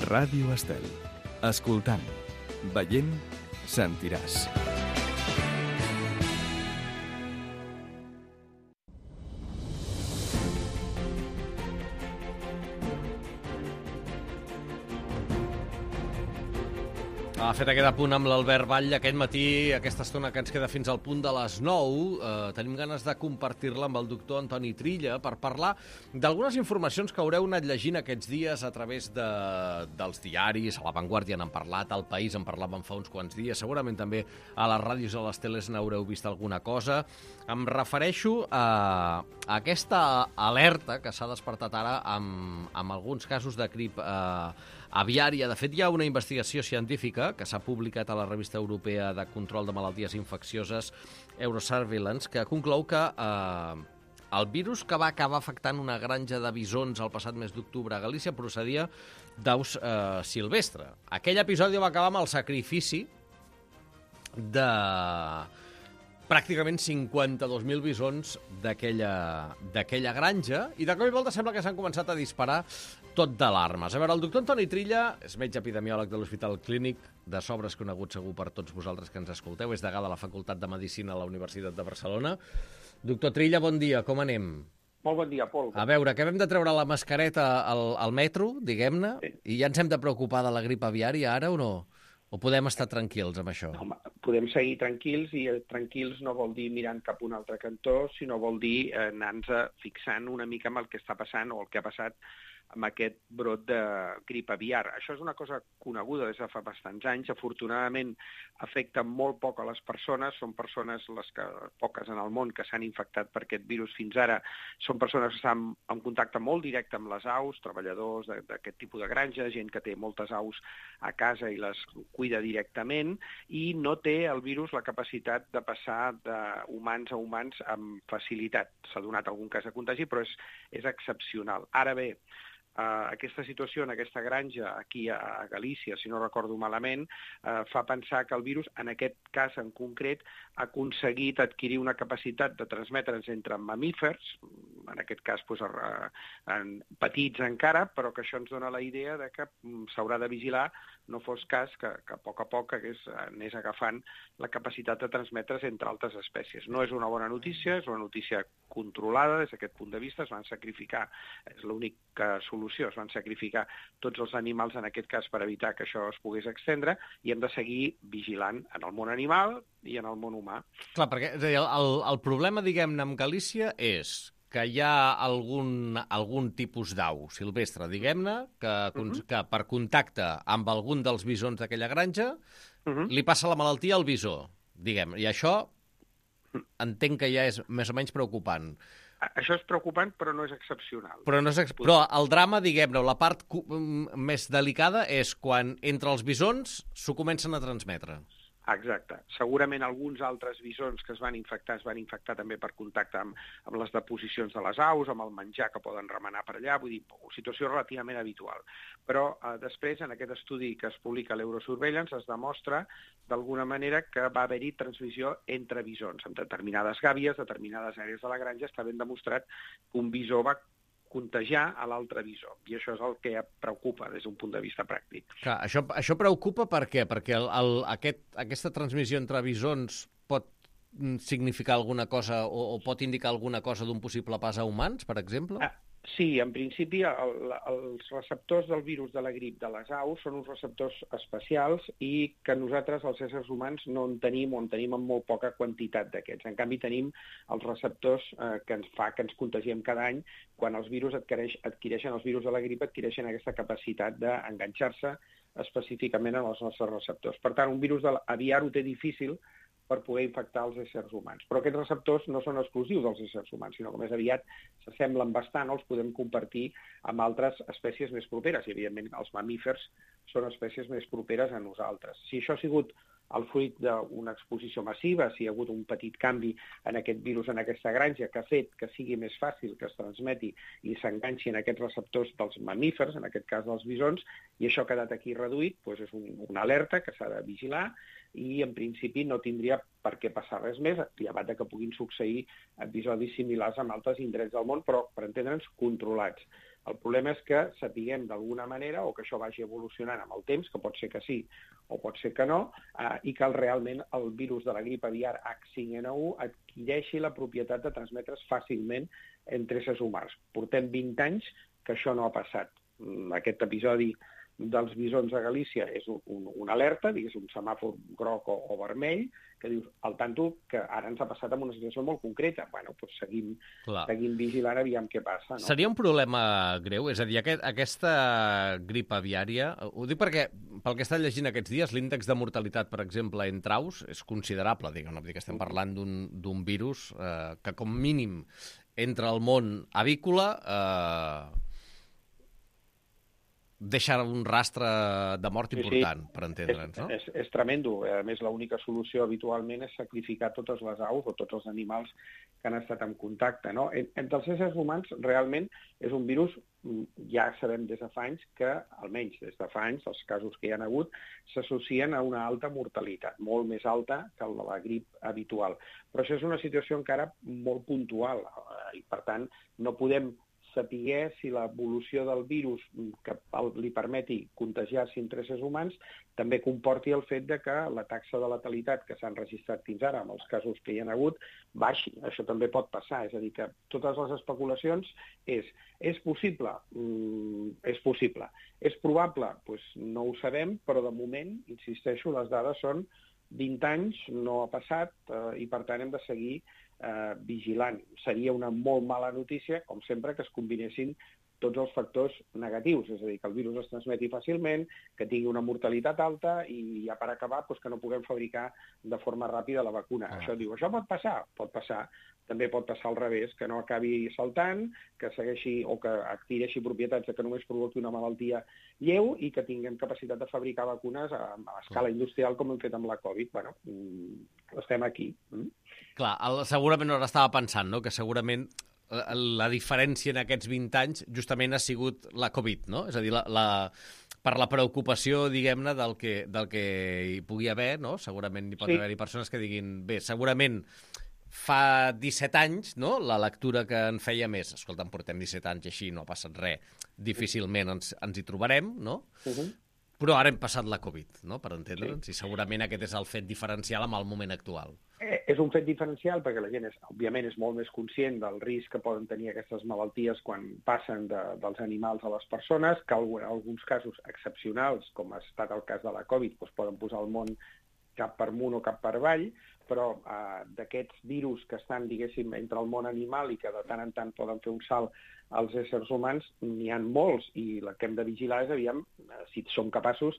Ràdio Estel. Escoltant, veient, sentiràs. Ha fet aquest apunt amb l'Albert Vall aquest matí, aquesta estona que ens queda fins al punt de les 9. Tenim ganes de compartir-la amb el doctor Antoni Trilla per parlar d'algunes informacions que haureu anat llegint aquests dies a través dels diaris. A La Vanguardia n'han parlat, al País en parlàvem fa uns quants dies, segurament també a les ràdios i a les teles n'haureu vist alguna cosa. Em refereixo a aquesta alerta que s'ha despertat ara amb alguns casos de grip aviària. De fet, hi ha una investigació científica que s'ha publicat a la revista europea de control de malalties infeccioses Eurosurveillance, que conclou que el virus que va acabar afectant una granja de bisons el passat mes d'octubre a Galícia procedia d'aus silvestre. Aquell episodi va acabar amb el sacrifici de pràcticament 52.000 bisons d'aquella granja, i de cop i volta sembla que s'han començat a disparar tot d'alarmes. A veure, el doctor Antoni Trilla és metge epidemiòleg de l'Hospital Clínic de Sobres, conegut segur per tots vosaltres que ens escolteu, és degà de la Facultat de Medicina a la Universitat de Barcelona. Doctor Trilla, bon dia, com anem? Molt bon dia, Pol. A veure, que hem de treure la mascareta al metro, diguem-ne, i ja ens hem de preocupar de la grip aviària ara o no? O podem estar tranquils amb això? Home, podem seguir tranquils, i tranquils no vol dir mirant cap a un altre cantó, sinó vol dir anar-nos fixant una mica amb el que està passant o el que ha passat amb aquest brot de grip aviar. Això és una cosa coneguda des de fa bastants anys. Afortunadament afecta molt poc a les persones. Són persones, poques en el món, que s'han infectat per aquest virus fins ara. Són persones que estan en contacte molt directe amb les aus, treballadors d'aquest tipus de granja, gent que té moltes aus a casa i les cuida directament, i no té el virus la capacitat de passar d'humans a humans amb facilitat. S'ha donat algun cas de contagi, però és excepcional. Ara bé, aquesta situació en aquesta granja aquí a Galícia, si no recordo malament, fa pensar que el virus, en aquest cas en concret, ha aconseguit adquirir una capacitat de transmetre's entre mamífers, en aquest cas petits encara, però que això ens dona la idea de que s'haurà de vigilar, no fos cas que a poc anés agafant la capacitat de transmetre's entre altres espècies. No és una bona notícia, és una notícia controlada des d'aquest punt de vista. Es van sacrificar, és l'única solució, es van sacrificar tots els animals en aquest cas per evitar que això es pogués extendre, i hem de seguir vigilant en el món animal i en el món humà. Clar, perquè el problema, diguem-ne, amb Galícia és que hi ha algun tipus d'au silvestre, diguem-ne, que per contacte amb algun dels bisons d'aquella granja li passa la malaltia al bisó, diguem, i això entenc que ja és més o menys preocupant. Això és preocupant, però no és excepcional. Però el drama, diguem-ne, la part més delicada és quan entre els bisons s'ho comencen a transmetre. Exacte. Segurament alguns altres bisons que es van infectar també per contacte amb les deposicions de les aus, amb el menjar que poden remenar per allà, vull dir, situació relativament habitual. Però després, en aquest estudi que es publica a l'Eurosurveillance, es demostra d'alguna manera que va haver-hi transmissió entre bisons. En determinades gàbies, determinades àrees de la granja, està ben demostrat que un bisó va contagiar a l'altre bisó, i això és el que preocupa des d'un punt de vista pràctic. Clar, això preocupa per què? Perquè aquesta transmissió entre bisons pot significar alguna cosa o pot indicar alguna cosa d'un possible pas a humans, per exemple? Sí, en principi els receptors del virus de la grip de les aus són uns receptors especials i que nosaltres, els éssers humans, no en tenim o en tenim en molt poca quantitat d'aquests. En canvi, tenim els receptors que ens fa que ens contagiem cada any. Quan els virus adquireixen els virus de la grip, adquireixen aquesta capacitat d'enganxar-se específicament en els nostres receptors. Per tant, un virus aviar ho té difícil per poder infectar els éssers humans. Però aquests receptors no són exclusius dels éssers humans, sinó que més aviat s'assemblen bastant o els podem compartir amb altres espècies més properes. I, evidentment, els mamífers són espècies més properes a nosaltres. Si això ha sigut el fruit d'una exposició massiva, si hi ha hagut un petit canvi en aquest virus en aquesta granja que ha fet que sigui més fàcil que es transmeti i s'enganxi en aquests receptors dels mamífers, en aquest cas dels bisons, i això ha quedat aquí reduït, doncs és una alerta que s'ha de vigilar, i en principi no tindria per què passar res més, llevat que puguin succeir episodis similars en altres indrets del món, però, per entendre'ns, controlats. El problema és que sapiguem d'alguna manera o que això vagi evolucionant amb el temps, que pot ser que sí o pot ser que no, i que realment el virus de la grip aviar H5N1 adquireixi la propietat de transmetre's fàcilment entre éssers humans. Portem 20 anys que això no ha passat. Aquest episodi dels bisons a Galícia és una alerta, digués un semàfor groc o vermell, que dius, al tanto, que ara ens ha passat en una situació molt concreta. Bueno, doncs seguim vigilant, aviam què passa. No? Seria un problema greu? És a dir, aquesta grip aviària, ho dic perquè, pel que he estat llegint aquests dies, l'índex de mortalitat, per exemple, entre aus, és considerable, diguem, que estem parlant d'un virus que, com mínim, entra al món avícola, deixa un rastre de mort important, per entendre'ns, no? És tremendo. A més, l'única solució habitualment és sacrificar totes les aus o tots els animals que han estat en contacte, no? Entre els éssers humans, realment, és un virus, ja sabem des de fa anys que, almenys des de fa anys, els casos que hi ha hagut, s'associen a una alta mortalitat, molt més alta que la grip habitual. Però això és una situació encara molt puntual i, per tant, no podem saber si l'evolució del virus que li permeti contagiar-se entre éssers humans també comporti el fet de que la taxa de letalitat que s'han registrat fins ara, amb els casos que hi ha hagut, baixi. Això també pot passar. És a dir, que totes les especulacions és possible? És possible. És probable? Doncs no ho sabem, però de moment, insisteixo, les dades són 20 anys, no ha passat, i per tant hem de seguir vigilant. Seria una molt mala notícia, com sempre, que es combinessin tots els factors negatius, és a dir, que el virus es transmeti fàcilment, que tingui una mortalitat alta i ja per acabar doncs, que no puguem fabricar de forma ràpida la vacuna. Això pot passar? Pot passar. També pot passar al revés, que no acabi saltant, que segueixi o que adquireixi propietats que només provoqui una malaltia lleu i que tinguem capacitat de fabricar vacunes a escala industrial com hem fet amb la Covid. Bueno, estem aquí. Clar, segurament no estava pensant, no?, que segurament la diferència en aquests 20 anys justament ha sigut la Covid, no? És a dir, per la preocupació, diguem-ne, del que hi pugui haver, no? Segurament hi pot haver-hi persones que diguin, bé, segurament fa 17 anys, no?, la lectura que en feia més, escolta'm, portem 17 anys i així no ha passat res, difícilment ens hi trobarem, no? Però ara hem passat la Covid, no?, per entendre'ns, i segurament aquest és el fet diferencial amb el moment actual. És un fet diferencial perquè la gent, òbviament, és molt més conscient del risc que poden tenir aquestes malalties quan passen dels animals a les persones, que en alguns casos excepcionals, com ha estat el cas de la Covid, doncs poden posar el món cap per amunt o cap per avall, però d'aquests virus que estan, diguéssim, entre el món animal i que de tant en tant poden fer un salt als éssers humans, n'hi ha molts, i el que hem de vigilar és, aviam, si som capaços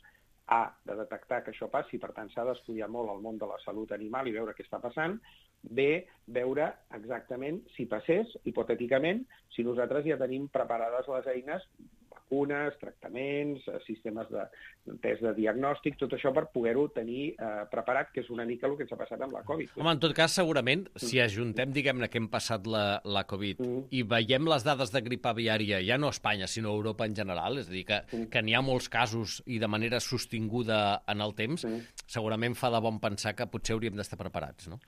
de detectar que això passi, per tant s'ha d'estudiar molt el món de la salut animal i veure què està passant, veure exactament si passés, hipotèticament, si nosaltres ja tenim preparades les eines, vacunes, tractaments, sistemes de test de diagnòstic, tot això per poder-ho tenir preparat, que és una mica el que ens ha passat amb la Covid. Home, en tot cas, segurament, si ajuntem, diguem-ne, que hem passat la Covid i veiem les dades de grip aviària, ja no a Espanya, sinó a Europa en general, és a dir, que n'hi ha molts casos i de manera sostinguda en el temps, segurament fa de bon pensar que potser hauríem d'estar preparats, no?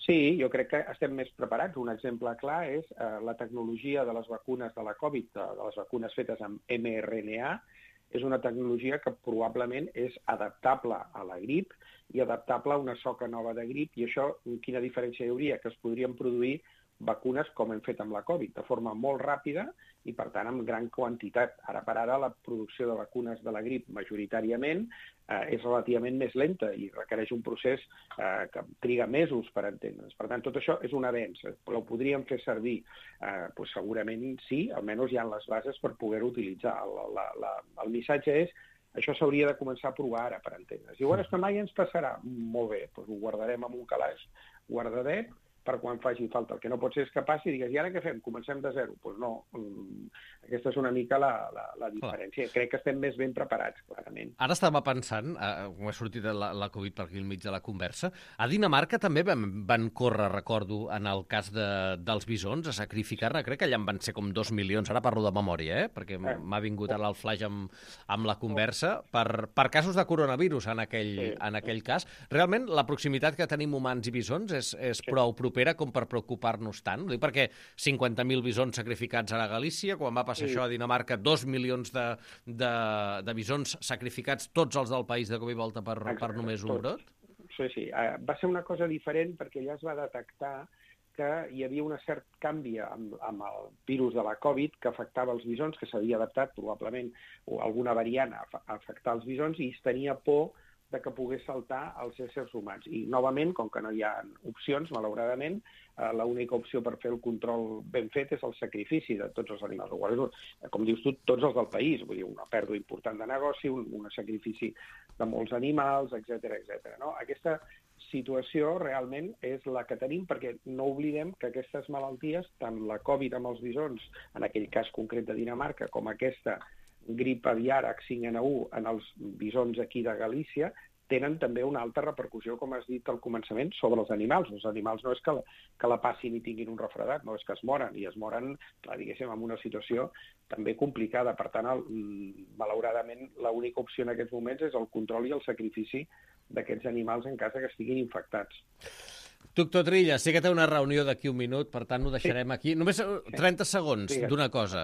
Sí, jo crec que estem més preparats. Un exemple clar és la tecnologia de les vacunes de la Covid, de les vacunes fetes amb mRNA, és una tecnologia que probablement és adaptable a la grip i adaptable a una soca nova de grip, i això, quina diferència hi hauria? Que es podrien produir vacunes com hem fet amb la Covid, de forma molt ràpida i, per tant, amb gran quantitat. Ara per ara, la producció de vacunes de la grip, majoritàriament, és relativament més lenta i requereix un procés que triga mesos per entendre's. Per tant, tot això és un avenç. Ho podríem fer servir? Segurament sí, almenys hi ha les bases per poder-ho utilitzar. El missatge és això s'hauria de començar a provar ara, per entendre's. I és que mai ens passarà. Molt bé, doncs ho guardarem en un calaix guardadet per quan faci falta. El que no pot ser és que passi i digues, i ara què fem? Comencem de zero? Doncs no. Aquesta és una mica la diferència. Crec que estem més ben preparats, clarament. Ara estava pensant, com ha sortit la Covid per aquí al mig de la conversa, a Dinamarca també van córrer, recordo, en el cas dels bisons, a sacrificar-ne. Crec que allà en van ser com 2 milions. Ara parlo de memòria, perquè m'ha vingut ara el flash amb la conversa, per casos de coronavirus en aquell cas. Realment, la proximitat que tenim humans i bisons és prou propera propera com per preocupar-nos tant? Ho dic perquè 50.000 bisons sacrificats ara a Galícia, quan va passar això a Dinamarca, 2 milions de bisons sacrificats, tots els del país de cop i volta per només un brot? Sí. Va ser una cosa diferent perquè ja es va detectar que hi havia un cert canvi amb el virus de la Covid que afectava els bisons, que s'havia adaptat probablement o alguna variant a afectar els bisons, i es tenia por de que pogués saltar als éssers humans. I, novament, com que no hi ha opcions, malauradament, l'única opció per fer el control ben fet és el sacrifici de tots els animals. Com dius tu, tots els del país, vull dir, una pèrdua important de negoci, un sacrifici de molts animals, etc. No? Aquesta situació realment és la que tenim, perquè no oblidem que aquestes malalties, tant la Covid amb els bisons, en aquell cas concret de Dinamarca, com aquesta grip aviar H5N1 en els bisons aquí de Galícia, tenen també una alta repercussió, com has dit al començament, sobre els animals. Els animals no és que la passin i tinguin un refredat, no és que es moren, i es moren, clar, diguéssim, en una situació també complicada. Per tant, malauradament, l'única opció en aquests moments és el control i el sacrifici d'aquests animals en cas que estiguin infectats. Doctor Trilla, sé que té una reunió d'aquí un minut, per tant ho deixarem aquí. Només 30 segons d'una cosa.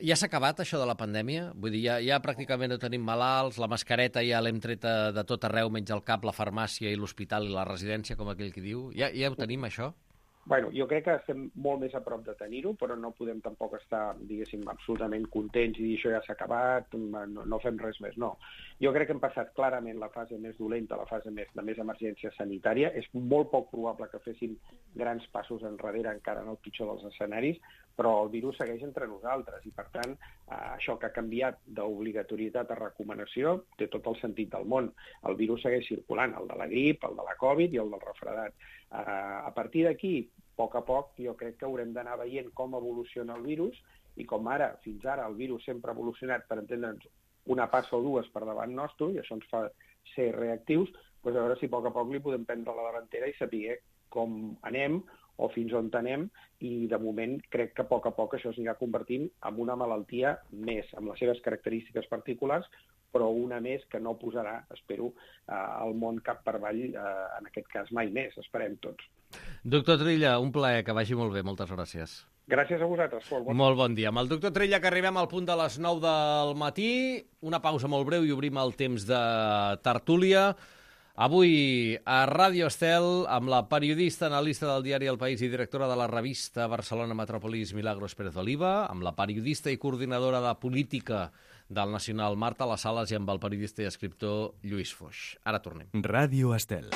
Ja s'ha acabat això de la pandèmia? Vull dir, ja pràcticament no tenim malalts, la mascareta ja l'hem treta de tot arreu, menys al cap, la farmàcia i l'hospital i la residència, com aquell que diu. Ja ho tenim, això? Bueno, jo crec que estem molt més a prop de tenir-ho, però no podem tampoc estar, diguéssim, absolutament contents i dir això ja s'ha acabat, no fem res més, no. Jo crec que hem passat clarament la fase més dolenta, la fase de més emergència sanitària. És molt poc probable que fessin grans passos enrere encara en el pitjor dels escenaris, però el virus segueix entre nosaltres i, per tant, això que ha canviat d'obligatorietat a recomanació té tot el sentit del món. El virus segueix circulant, el de la grip, el de la Covid i el del refredat. A partir d'aquí, a poc, jo crec que haurem d'anar veient com evoluciona el virus i com fins ara el virus sempre ha evolucionat, per entendre'ns, una passa o dues per davant nostre, i això ens fa ser reactius, doncs a veure si a poc li podem prendre la davantera i saber com anem o fins on anem, i de moment crec que a poc això s'anirà convertint en una malaltia més, amb les seves característiques particulars, però una més que no posarà, espero, el món cap per avall, en aquest cas mai més, esperem tots. Doctor Trilla, un plaer, que vagi molt bé, moltes gràcies. Gràcies a vosaltres, Pol. Molt bon dia. Amb el doctor Trilla, que arribem al punt de les 9 del matí, una pausa molt breu i obrim el temps de tertúlia. Avui a Ràdio Estel, amb la periodista, analista del diari El País i directora de la revista Barcelona Metropolis, Milagros Pérez Oliva, amb la periodista i coordinadora de política del Nacional, Marta Las Sales, i amb el periodista i escriptor Lluís Foix. Ara tornem. Ràdio Estel.